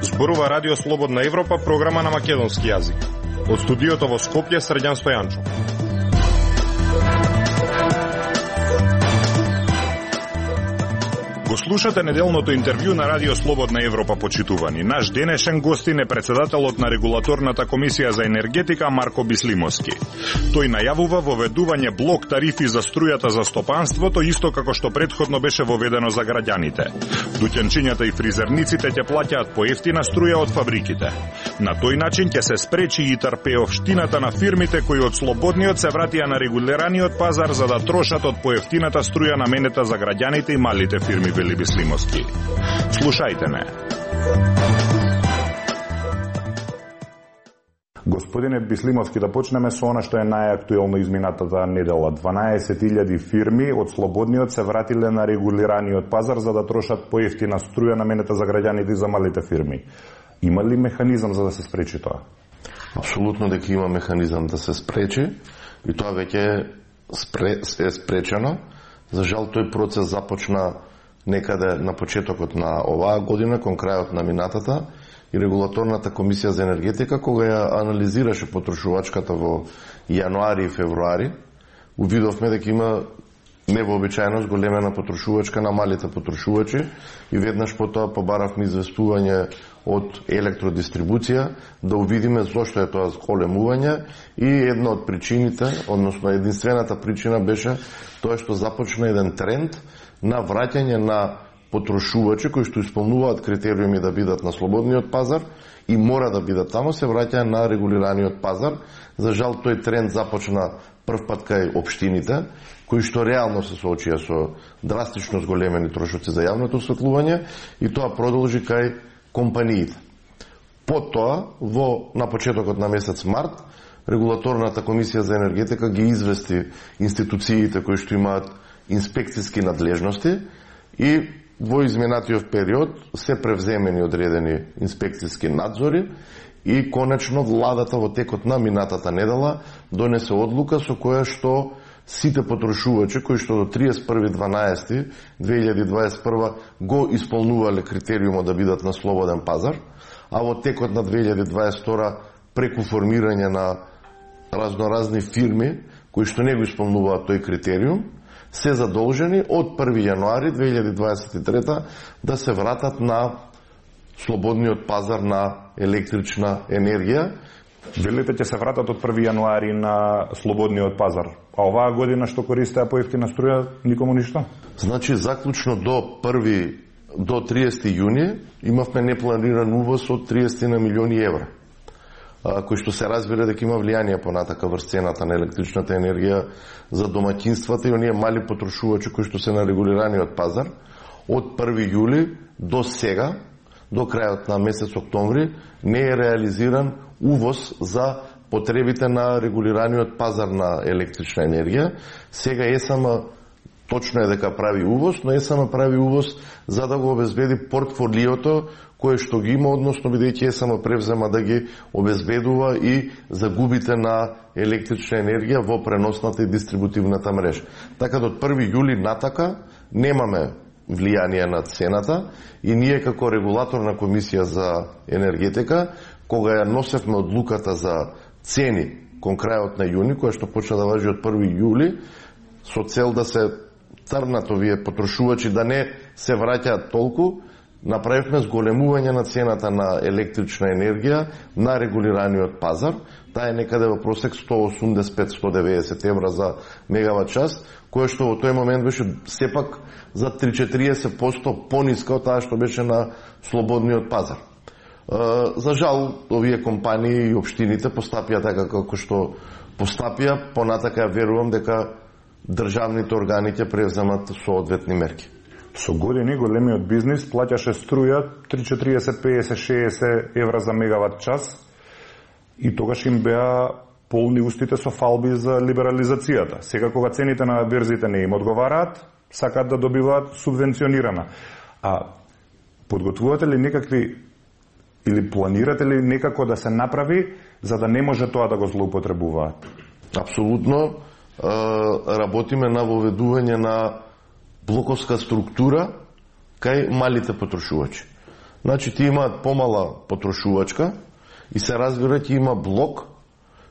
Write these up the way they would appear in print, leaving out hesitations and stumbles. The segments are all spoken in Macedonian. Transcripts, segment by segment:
Зборува Радио Слободна Европа, програма на македонски јазик. Од студиото во Скопје, Срđan Стојанчов. Го слушате неделното интервју на Радио Слободна Европа, почитувани. Наш денешен гостин е председателот на Регулаторната комисија за енергетика Марко Бислимовски. Тој најавува воведување блок тарифи за струјата за стопанството, исто како што претходно беше воведено за граѓаните. Дуќанчињата и фризерниците ќе плаќаат поевтина струја од фабриките. На тој начин ќе се спречи и трпеовштината на фирмите кои од слободниот се вратија на регулираниот пазар за да трошат од поевтината струја наменета за граѓаните и малите фирми, вели Бислимовски. Слушајте ме. Господине Бислимовски, да почнеме со она што е најактуелно изминатата недела. 12.000 фирми од слободниот се вратиле на регулираниот пазар за да трошат поевтина струја наменета за граѓаните и за малите фирми. Има ли механизам за да се спречи тоа? Апсолутно дека има механизам да се спречи и тоа веќе е спречено. За жал тој процес започна некаде на почетокот на оваа година, кон крајот на минатата, и Регулаторната комисија за енергетика, кога ја анализираше потрошувачката во јануари и февруари, увидовме дека има невообичаено зголемена потрошувачка на малите потрошувачи и веднаш потоа побаравме известување од електродистрибуција да увидиме зошто е тоа зголемување и една од причините, односно единствената причина беше тоа што започна еден тренд на враќање на потрошувачи кои што исполнуваат критериуми да бидат на слободниот пазар и мора да бидат таму, се враќаат на регулираниот пазар. За жал тој тренд започна прв пат кај општините, кои што реално се соочија со драстично зголемени трошоци за јавното осветлување и тоа продолжи кај компаниите. Потоа, на почетокот на месец март, Регулаторната комисија за енергетика ги извести институциите кои што имаат инспекцијски надлежности и во изминатиот период се превземени одредени инспекцијски надзори и конечно владата во текот на минатата недела донесе одлука со која што сите потрошувачи кои што до 31.12.2021 го исполнувале критериумот да бидат на слободен пазар, а во текот на 2022 преку формирање на разноразни фирми кои што не го исполнуваат тој критериум, се задолжени од 1. јануари 2023 да се вратат на слободниот пазар на електрична енергија. Велите ќе се вратат од 1. јануари на слободниот пазар, а оваа година што користеа поевтина струја никому ништо? Значи, заклучно до 30 јуни имавме непланиран увоз од 30 милиони евра, кој што се разбира дека има влијание понатака врз цената на електричната енергија за домаќинствата и оние мали потрошувачи кои што се на регулираниот пазар. Од 1. јули до сега, до крајот на месец октомври, не е реализиран увоз за потребите на регулираниот пазар на електрична енергија. Сега ЕСМ точно е дека прави увоз, но ЕСМ прави увоз за да го обезбеди портфолиото кое што ги има, односно бидејќи ЕСМ превзема да ги обезбедува и загубите на електрична енергија во преносната и дистрибутивната мрежа. Така до 1. јули натака немаме влијание на цената и ние како Регулаторна комисија за енергетика, кога ја носевме одлуката за цени кон крајот на јуни, која што почна да важи од 1. јули, со цел да се трнат овие потрошувачи да не се враќаат толку, направивме зголемување на цената на електрична енергија на регулираниот пазар. Таа е некаде во просек 185-190 евра за мегават час, кое што во тој момент беше сепак за 30-40% пониска од таа што беше на слободниот пазар. За жал, овие компании и општините постапија така како што постапија, понатака верувам дека државните органи ќе превземат соодветни мерки. Со години големиот бизнис плаќаше струја 30, 40, 50, 60 евра за мегават час и тогаш им беа полни устите со фалби за либерализацијата. Сега кога цените на берзите не им одговараат, сакаат да добиваат субвенционирана. А подготвувате ли некакви или планирате ли некако да се направи за да не може тоа да го злоупотребуваат? Апсолутно работиме на воведување на блоковска структура кај малите потрошувачи. Значи, ти имаат помала потрошувачка и се разбира ќе има блок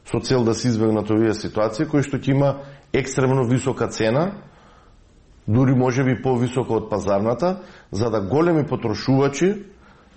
со цел да се избегнат овие ситуации, кој што ќе има екстремно висока цена, дури може би повисока од пазарната, за да големи потрошувачи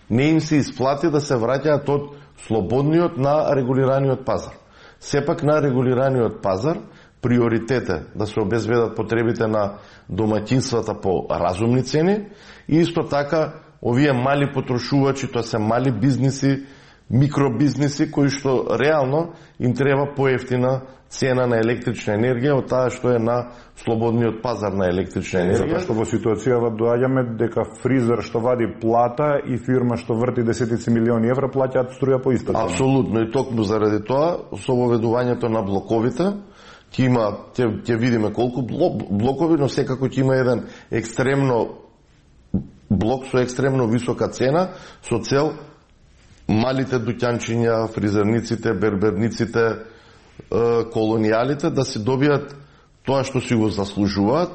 не им се исплати да се враќаат од слободниот на регулираниот пазар. Сепак на регулираниот пазар приоритет е да се обезбедат потребите на домаќинствата по разумни цени и исто така овие мали потрошувачи, тоа се мали бизниси, микробизниси кои што реално им треба поевтина цена на електрична енергија од таа што е на слободниот пазар на електрична енергија. Затоа што во ситуацијава доаѓаме дека фризер што вади плата и фирма што врти десетици милиони евра плаќаат струја по иста цена. Апсолутно, и токму заради тоа со воведувањето на блоковите ќе видиме колку блокови, но секако ќе има еден екстремно блок со екстремно висока цена со цел малите дуќанчиња, фризерниците, берберниците, колонијалите да си добијат тоа што си го заслужуваат,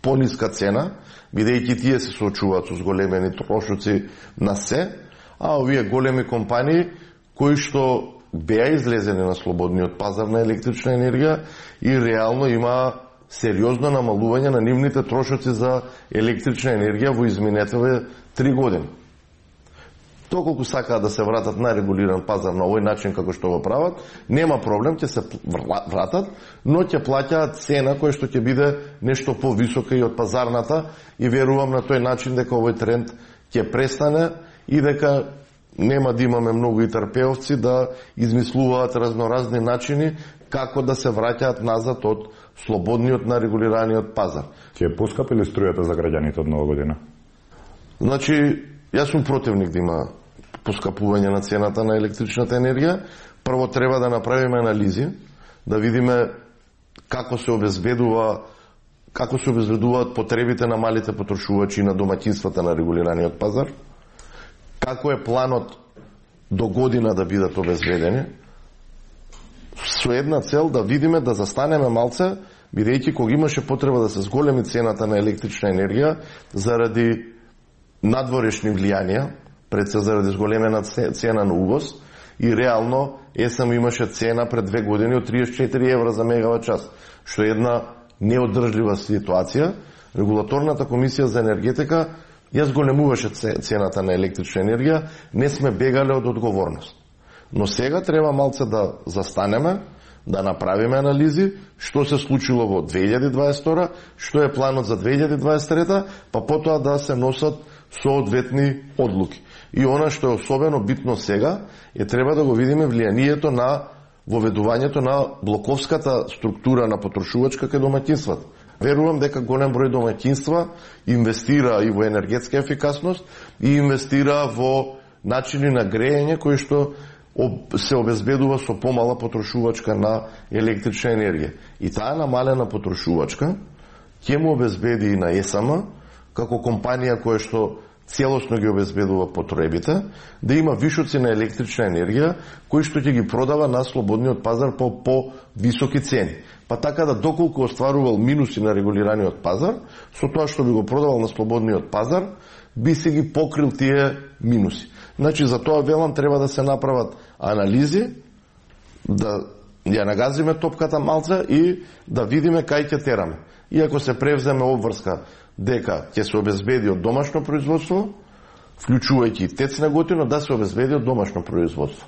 пониска цена, бидејќи тие се соочуваат со зголемени трошоци на се, а овие големи компании кои што беа излезени на слободниот пазар на електрична енергија и реално има сериозно намалување на нивните трошоци за електрична енергија во изминетите 3 години. Доколку сакаат да се вратат на регулиран пазар на овој начин како што го прават, нема проблем, ќе се вратат, но ќе плаќаат цена која што ќе биде нешто повисока и од пазарната и верувам на тој начин дека овој тренд ќе престане и дека нема да имаме многу и трпеовци да измислуваат разноразни начини како да се враќаат назад од слободниот на регулираниот пазар. Ќе поскапи ли струјата за граѓаните од нова година? Значи, јас сум противник да има поскапување на цената на електричната енергија. Прво треба да направиме анализи, да видиме како се обезбедуваат потребите на малите потрошувачи и на домаќинствата на регулираниот пазар, како е планот до година да бидат обезбедени, со една цел да видиме, да застанеме малце, бидејќи кога имаше потреба да се зголеми цената на електрична енергија заради надворешни влијанија, пред се заради зголемена цена на увоз, и реално ЕСМ имаше цена пред 2 години од 34 евра за мегават час, што е една неодржлива ситуација. Регулаторната комисија за енергетика ја зголемуваше цената на електрична енергија, не сме бегале од одговорност. Но сега треба малце да застанеме, да направиме анализи, што се случило во 2022, што е планот за 2023, па потоа да се носат соодветни одлуки. И она што е особено битно сега, треба да го видиме влијанието на воведувањето на блоковската структура на потрошувачка кај домаќинствата. Верувам дека голем број домаќинства инвестира и во енергетска ефикасност и инвестира во начини на грејење кои што се обезбедува со помала потрошувачка на електрична енергија. И таа намалена потрошувачка ќе му обезбеди и на ЕСМ, како компанија која што целосно ги обезбедува потребите, да има вишоци на електрична енергија, кои што ќе ги продава на слободниот пазар по високи цени. Па така да доколку остварувал минуси на регулираниот пазар, со тоа што би го продавал на слободниот пазар, би се ги покрил тие минуси. Значи, за тоа велам треба да се направат анализи, да ја нагазиме топката малца и да видиме кај ќе тераме. И ако се превземе обврска дека ќе се обезбеди од домашно производство, вклучувајќи тецна готина, да се обезбеди од домашно производство.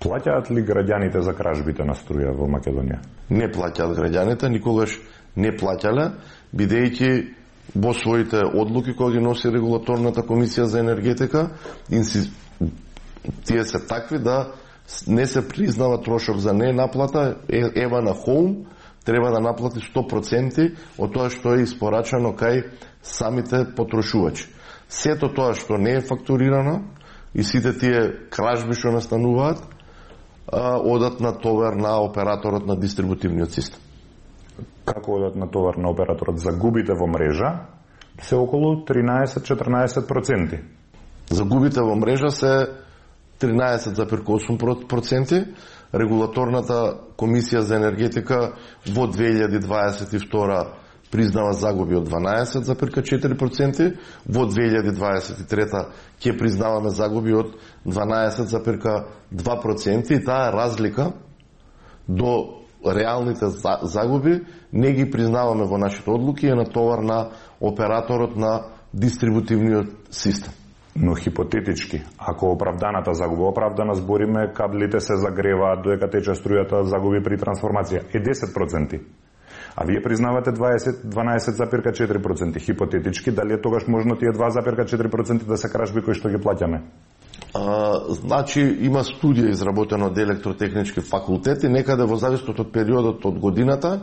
Плаќаат ли граѓаните за кражбите на струја во Македонија? Не плаќаат граѓаните, никогаш не плаќале, бидејќи во своите одлуки кои ги носи регулаторната комисија за енергетика, тие се такви да не се признава трошок за не наплата. Ева на Хоум треба да наплати 100% од тоа што е испорачано кај самите потрошувачи. Сето тоа што не е фактурирано и сите тие кражби што настануваат, одат на товар на операторот на дистрибутивниот систем. Како одат на товар на операторот? Загубите во мрежа се околу 13-14%. Загубите во мрежа се 13,8%, регулаторната комисија за енергетика во 2022 признава загуби од 12,4%, во 2023 ќе признаваме загуби од 12,2% и таа разлика до реалните загуби не ги признаваме во нашите одлуки, е на товар на операторот на дистрибутивниот систем. Но хипотетички, ако оправданата загуба, оправдана збориме, каблите се загреваат додека тече струјата, загуби при трансформација е 10%. А вие признавате 12,4%. Хипотетички, дали е тогаш можно тие 2,4% да се кражби кои што ги плаќаме? Значи, има студија изработена од електротехнички факултет и некаде во зависност од периодот од годината,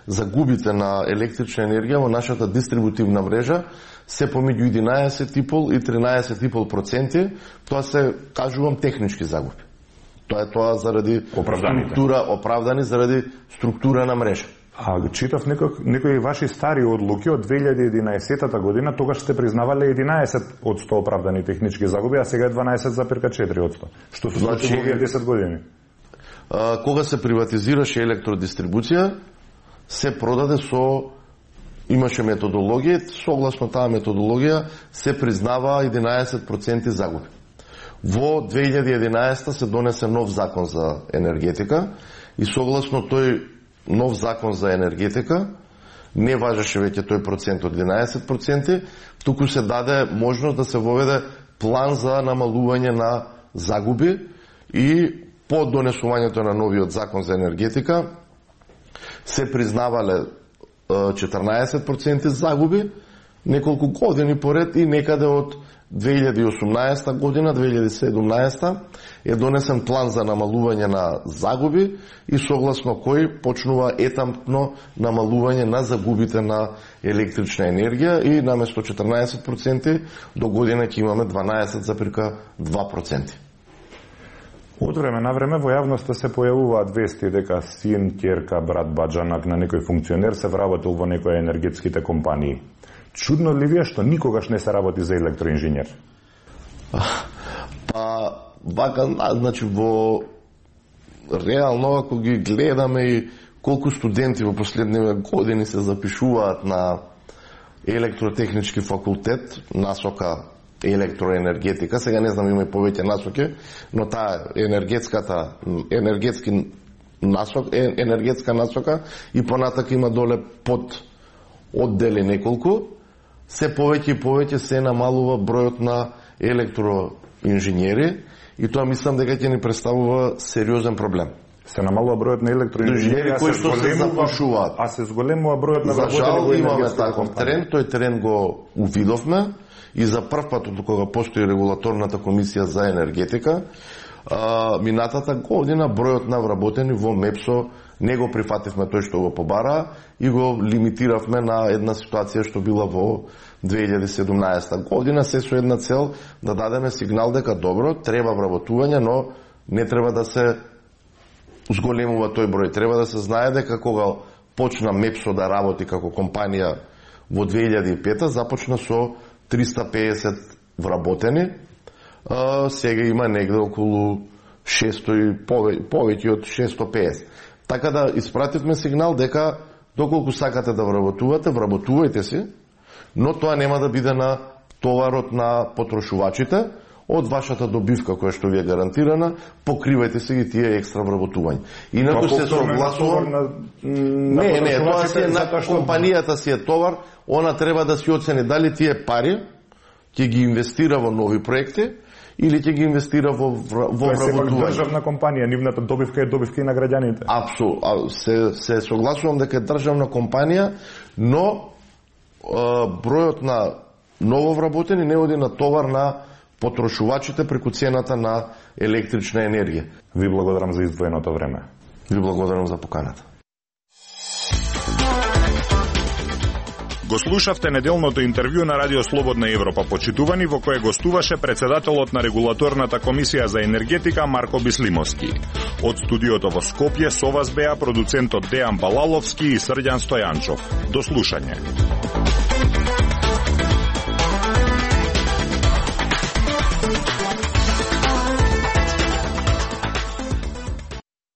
загубите на електрична енергија во нашата дистрибутивна мрежа се помеѓу 11,5 и 13,5%. Тоа се, кажувам, технички загуби. Тоа заради структура, оправдани заради структура на мрежа. А читав некои ваши стари одлуки од 2011 година, тогаш сте признавале 11% оправдани технички загуби, а сега е 12,4%. Што се случи во овие 10 години? Кога се приватизираше електродистрибуција, се продаде имаше методологија, согласно таа методологија се признава 11% загуби. Во 2011 се донесе нов закон за енергетика и согласно тој нов закон за енергетика не важеше веќе тој процент од 11%, туку се даде можност да се воведе план за намалување на загуби и по донесувањето на новиот закон за енергетика се признавале 14% загуби неколку години поред и некаде од 2018 година, 2017 е донесен план за намалување на загуби и согласно кој почнува етапно намалување на загубите на електрична енергија и наместо 14% до година ќе имаме 12,2%. Од време на време во јавноста се појавуваат вести дека син, ќерка, брат, баџанак на некој функционер се вработил во некоја енергетските компании. Чудно ли ви е што никогаш не се работи за електроинженер? Па, вака, значи, во реално, ако ги гледаме и колку студенти во последниве години се запишуваат на електротехнички факултет, насока електроенергетика, сега не знам, има и повеќе насоки, но таа енергетска насока и понатака има доле под оддели неколку, се повеќе и повеќе се намалува бројот на електроинженери и тоа мислам дека ќе ни представува сериозен проблем. Се намалува бројот на електроинженери кои што се запишуваат. А се зголемува бројот на вработени во енергетската компанија. Тој тренд го увидовме и за прв пат од кога постои регулаторната комисија за енергетика, минатата година бројот на вработени во МЕПСО не го прифативме тој што го побара и го лимитиравме на една ситуација што била во 2017 година, се со една цел да дадеме сигнал дека добро, треба вработување, но не треба да се зголемува тој број. Треба да се знае дека кога почна МЕПСО да работи како компанија во 2005 започна со 350 вработени, сега има негде околу 600 и повеќе од 650. Така да испративме сигнал дека доколку сакате да вработувате, вработувајте си, но тоа нема да биде на товарот на потрошувачите, од вашата добивка која што ви е гарантирана, покривајте се ги тие екстра вработувања. Инаку се согласувам. Не, тоа си е на компанијата си е товар, она треба да си оцени дали тие пари ќе ги инвестира во нови проекти или ќе ги инвестира во вработување. Тоа е државна компанија, нивната добивка е добивка и на граѓаните. Апсолутно, се согласувам дека е државна компанија, но бројот на нововработени не оди на товар на потрошувачите преку цената на електрична енергија. Ви благодарам за издвоеното време. Ви благодарам за поканата. Го слушавте неделното интервју на Радио Слободна Европа, почитувани, во кое гостуваше председателот на регулаторната комисија за енергетика Марко Бислимовски. Од студиото во Скопје со вас беа продуцентот Дејан Балаловски и Срđan Стојанчов. До слушање.